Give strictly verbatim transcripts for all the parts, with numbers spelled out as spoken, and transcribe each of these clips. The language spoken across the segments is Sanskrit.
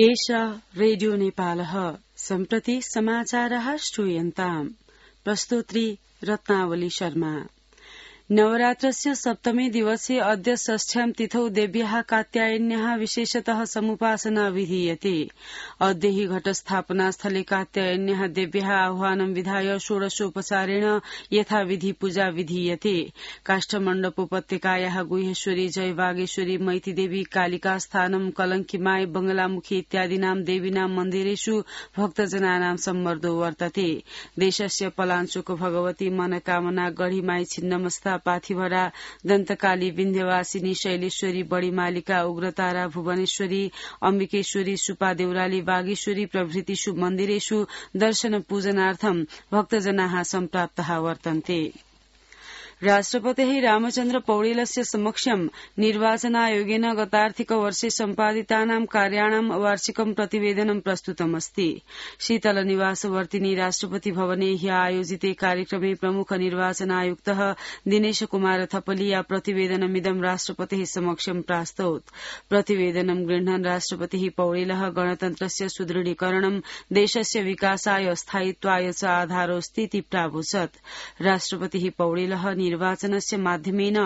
एषा रेडियो नेपालः सम्प्रति समाचारः श्रूयन्ताम्। प्रस्तोत्री रत्नावली शर्मा। नवरात्रस्य सप्तमे दिवसे अद्य षष्ठ्यां तिथौ देव्याः कात्यायन्याः विशेषतः समुपासना विधीयते। अद्य हि घटस्थापनास्थले कात्यायन्याः देव्याः आह्वानं विधाय षोडशोपचारेण यथाविधि पूजा विधीयते। काष्ठमण्डपोपत्यकायाः गुह्येश्वरी, जयवागेश्वरी, मैतीदेवी, कालिकास्थानं, कलंकीमाई, बंगलामुखी इत्यादीनां देवीनां मन्दिरेषु भक्तजनानां सम्मर्दो वर्तते। देशस्य पलाञ्चोक भगवती, मनकामना, गढीमाई, छिन्नमस्ता, पाथिभरा, दन्तकाली, विन्ध्यवासिनी, शैलेश्वरी, बड़ीमालिका, उग्रतारा, भुवनेश्वरी, अम्बिकेश्वरी, सुपा देउराली, बागेश्वरी प्रभृतिषु मन्दिरेषु दर्शन पूजनार्थं भक्तजनाः सम्प्राप्ताः वर्तन्ते। राष्ट्रपतेः रामचन्द्र पौडेलस्य समक्षं निर्वाचनायोगेन गतार्थिक वर्षे सम्पादितानां कार्याणां वार्षिकं प्रतिवेदनं प्रस्तुतमस्ति। शीतल निवासवर्तिनी राष्ट्रपति भवने ह्य आयोजिते कार्यक्रमे प्रमुख निर्वाचन आयुक्तः दिनेश कुमार थपलिया प्रतिवेदनमिदं राष्ट्रपतेः समक्षं प्रास्तौत्। प्रतिवेदनं गृह्णन् राष्ट्रपतिः पौडेलः गणतन्त्रस्य सुदृढीकरणं देशस्य विकासाय स्थायित्वाय च आधारोऽस्तीति प्रावोचत्। राष्ट्रपतिः पौडेलः निर्वाचनस्य माध्यमेन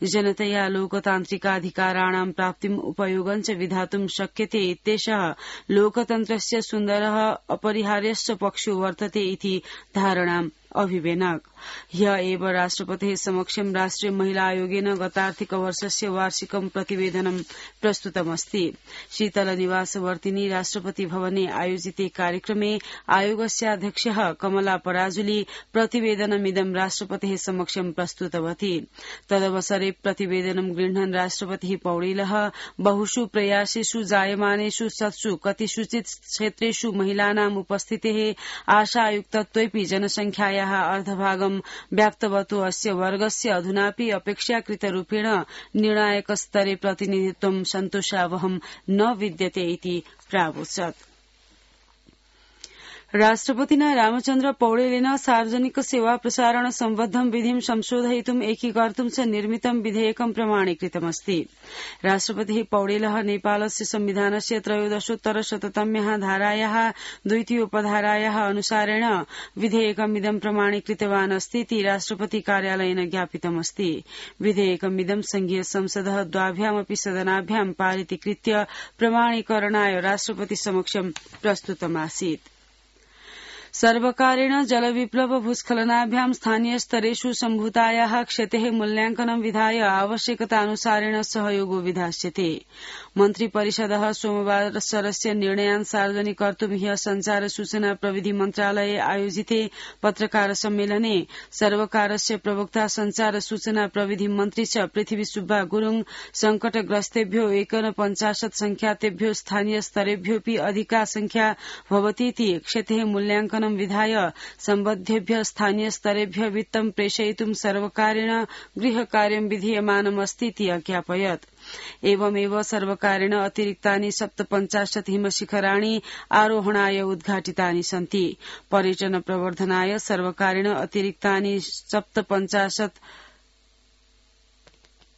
जनतया लोकतान्त्रिकाधिकाराणां प्राप्तिम् उपयोगञ्च विधातुं शक्यते इत्येषः लोकतन्त्रस्य सुन्दरः अपरिहार्यश्च पक्षो वर्तते इति धारणाम् अभिवेनक। ह्य एव राष्ट्रपतेः समक्षं राष्ट्रिय महिला आयोगेन गतार्थिक वर्षस्य वार्षिकं प्रतिवेदनं प्रस्तुतमस्ति। शीतल निवासवर्तिनी राष्ट्रपति भवने आयोजिते कार्यक्रमे आयोगस्याध्यक्षः कमला पराजुली प्रतिवेदनमिदं राष्ट्रपतेः समक्षं प्रस्तुतवती। तदवसरे प्रतिवेदनं गृह्णन् राष्ट्रपतिः पौडेलः बहुषु प्रयासेषु जायमानेषु सत्सु कतिषुचित् क्षेत्रेषु महिलानाम् उपस्थितेः आशायुक्तत्वेऽपि जनसंख्यायाः अर्धभागं व्याप्तवतो अस्य वर्गस्य अधुनापि अपेक्षाकृतरूपेण निर्णायकस्तरे प्रतिनिधित्वं सन्तोषावहं न विद्यते इति प्रावोचत्। राष्ट्रपतिना रामचन्द्र पौडेलेन सार्वजनिक सेवा प्रसारण सम्बद्धं विधिं संशोधयितुम् एकीकर्तुं च निर्मितं विधेयकं प्रमाणीकृतमस्ति। राष्ट्रपतिः पौडेलः नेपालस्य संविधानस्य त्रयोदशोत्तर शततम्याः धारायाः द्वितीयोपधारायाः अनुसारेण विधेयकमिदं प्रमाणीकृतवान् अस्तीति राष्ट्रपति कार्यालयेन ज्ञापितमस्ति। विधेयकमिदं संघीय संसदः द्वाभ्यामपि सदनाभ्यां पारितीकृत्य प्रमाणीकरणाय राष्ट्रपति समक्षं प्रस्तुतमासीत्। सर्वकारेण जलविप्लव भूस्खलनाभ्यां स्थानीय स्तरेषु सम्भूतायाः क्षतेः मूल्यांकनं विधाय आवश्यकतानुसारेण सहयोगो विधास्यते। मन्त्रिपरिषदः सोमवासरस्य निर्णयान् सार्वजनिकर्तुं ह्यः संचार सूचना प्रविधि मन्त्रालये आयोजिते पत्रकार सम्मेलने सर्वकारस्य प्रवक्ता संचार सूचना प्रविधि मन्त्री च पृथ्वी सुब्बा गुरुङ संकटग्रस्तेभ्यो एकोनपञ्चाशत् संख्यातेभ्यो स्थानीय स्तरेभ्योऽपि अधिका संख्या भवतीति क्षतेः मूल्यांकन विधाय सम्बद्धेभ्य स्थानीय स्तरेभ्य वित्तं प्रेषयितुं सर्वकारेण गृहकार्यं विधीयमानमस्तीति अज्ञापयत्। एवमेव सर्वकारेण अतिरिक्तानि सप्तपञ्चाशत् हिमशिखराणि आरोहणाय उद्घाटितानि सन्ति। पर्यटन प्रवर्धनाय सर्वकारेण अतिरिक्तानि सप्तपञ्चाशत्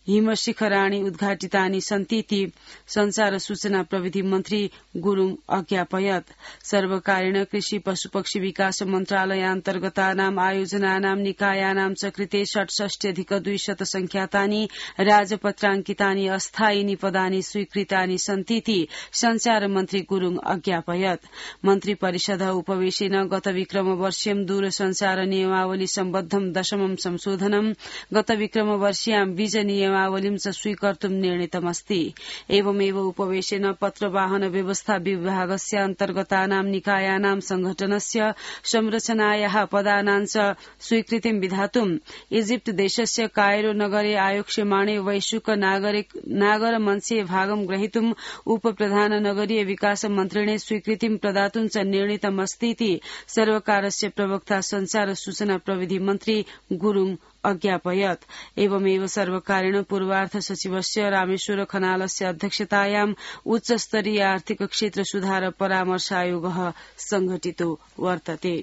हिमशिखराणि उद्घाटितानि सन्तीति संचार सूचना प्रविधि मन्त्री गुरुङ अज्ञापयत्। सर्वकारेण कृषि पशुपक्षी विकास मन्त्रालयान्तर्गतानाम् आयोजनानां निकायानां च कृते षट्षष्ट्यधिक द्विशत संख्यातानि राजपत्राङ्कितानि अस्थायिनि पदानि स्वीकृतानि सन्तीति संचार मन्त्री गुरुङ अज्ञापयत्। मन्त्री परिषद उपवेशेन गत विक्रमवर्षीयं दूरसंचार नियमावली सम्बद्धं दशमं संशोधनं गत विक्रमवर्षीयां बीज नियमावलीं च स्वीकर्तुं निर्णीतमस्ति। एवमेव उपवेशेन पत्रवाहन व्यवस्था विभागस्य अन्तर्गतानां निकायानां संघटनस्य संरचनायाः पदानां च स्वीकृतिं विधातुं इजिप्ट देशस्य कायरो नगरे आयोक्ष्यमाणे वैश्विक नागर मञ्चे भागं ग्रहीतुं उपप्रधान नगरीय विकास मन्त्रिणे स्वीकृतिं प्रदातुं च निर्णीतमस्तीति सर्वकारस्य प्रवक्ता संचार सूचना प्रविधि मन्त्री गुरुङ अज्ञापयत्। एवमेव सर्वकारेण पूर्वार्थ सचिवस्य रामेश्वर खनालस्य अध्यक्षतायाम् उच्चस्तरीय आर्थिक क्षेत्र सुधार परामर्श आयोगः संघटितो वर्तते।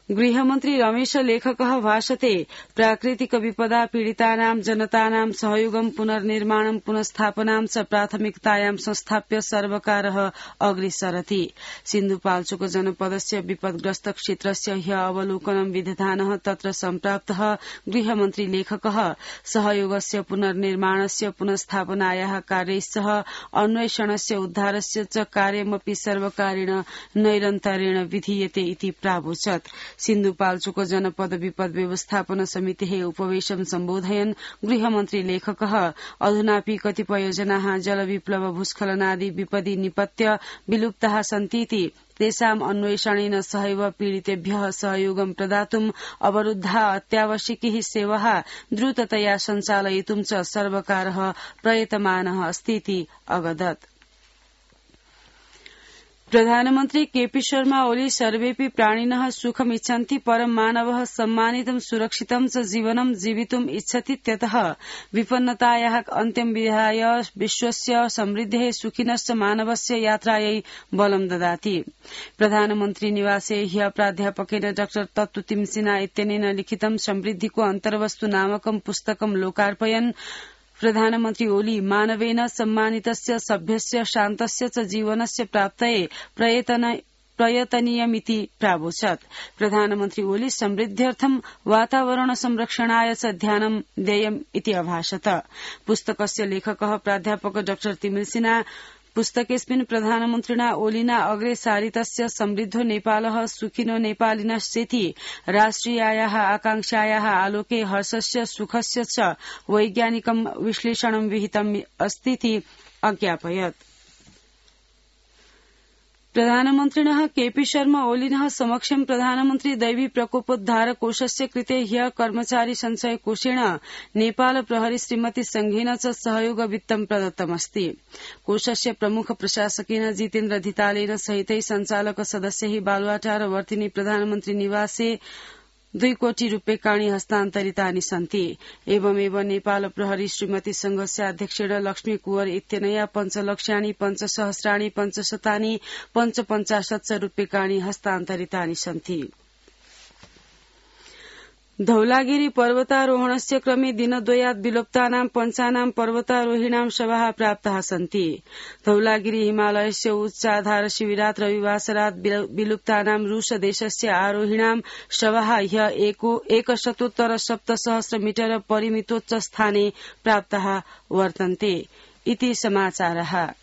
गृहमन्त्री रमेश लेखकः भाषते प्राकृतिक विपदा पीडितानां जनतानां सहयोगं पुनर्निर्माणं पुनस्थापनां च प्राथमिकतायां संस्थाप्य सर्वकारः अग्रेसरति। सिन्धुपाल्चोक जनपदस्य विपदग्रस्त क्षेत्रस्य ह्य अवलोकनं विदधानः तत्र सम्प्राप्तः गृहमन्त्री लेखकः सहयोगस्य पुनर्निर्माणस्य पुनस्थापनायाः कार्यैस्सह अन्वेषणस्य उद्धारस्य च कार्यमपि सर्वकारेण नैरन्तर्येण विधीयते इति प्रावोचत्। सिन्धुपाल्चोक जनपद विपद व्यवस्थापन समितेः उपवेशनं सम्बोधयन् गृहमन्त्री लेखकः अधुनापि कतिपय जनाः जलविप्लव भूस्खलनादि विपदि निपत्य विलुप्ताः सन्तीति तेषाम् अन्वेषणेन सहैव पीडितेभ्यः सहयोगं प्रदातुम् अवरुद्धा अत्यावश्यकीः सेवाः द्रुततया सञ्चालयितुं च सर्वकारः प्रयतमानः अस्तीति अवदत्। प्रधानमन्त्री केपी शर्मा ओली सर्वेऽपि प्राणिनः सुखमिच्छन्ति परं मानवः सम्मानितं सुरक्षितं च जीवनं जीवितुम् इच्छतीत्यतः विपन्नतायाः अन्त्यं विधाय विश्वस्य समृद्धेः सुखिनश्च मानवस्य यात्रायै बलं ददाति। प्रधानमन्त्री निवासे ह्य प्राध्यापकेन डॉ तत्तुतिमसिना इत्यनेन लिखितं समृद्धिको अन्तर्वस्तु नामकं पुस्तकं लोकार्पयन् प्रधानमन्त्री ओली मानवेन सम्मानितस्य सभ्यस्य शान्तस्य च जीवनस्य प्राप्तये प्रयतन प्रयतनीयमिति प्रावोचत्। प्रधानमन्त्री ओली समृद्ध्यर्थं वातावरण संरक्षणाय च ध्यानं देयम् इति अभाषत। पुस्तकस्य लेखकः प्राध्यापक डॉ तिमसिना पुस्तकेऽस्मिन् प्रधानमन्त्रिणा ओलिना अग्रे सारितस्य समृद्धो नेपालः सुखिनो नेपालिनश्चेति राष्ट्रियायाः आकांक्षायाः आलोके हर्षस्य सुखस्य च वैज्ञानिकं विश्लेषणं विहितम् अस्तीति अज्ञापयत्। प्रधानमन्त्रिणः केपी शर्मा ओलिनः समक्षं प्रधानमन्त्री दैवी प्रकोपोद्धार कोषस्य कृते ह्य कर्मचारी सञ्चय कोषेण नेपाल प्रहरी श्रीमती संघेन च सहयोग वित्तं प्रदत्तमस्ति। कोषस्य प्रमुख प्रशासकेन जितेन्द्र धितालेन सहितै संचालक सदस्यैः बालुवाटार वर्तिनी प्रधानमन्त्री निवासे दुई कोटी रूप्यकाणि हस्तान्तरितानि सन्ति। एवमेव नेपाल प्रहरी श्रीमती संघस्य अध्यक्षेण लक्ष्मी कुवर इत्यनया पञ्चलक्ष्याणि पञ्चसहस्राणि पञ्चशतानि पञ्चपञ्चाशत् च रूप्यकाणि हस्तान्तरितानि सन्ति। धौलागिरी पर्वतारोहणस्य क्रमे दिनद्वयात् विलुप्तानां पञ्चानां पर्वतारोहिणां शवाः प्राप्ताः सन्ति। धौलागिरी हिमालयस्य उच्चाधार शिविरात् रविवासरात् विलुप्तानां रूसदेशस्य आरोहिणां शवाः ह्य एकशतोत्तर सप्तसहस्र मीटर परिमितोच्च स्थाने प्राप्ताः वर्तन्ते इति समाचारः।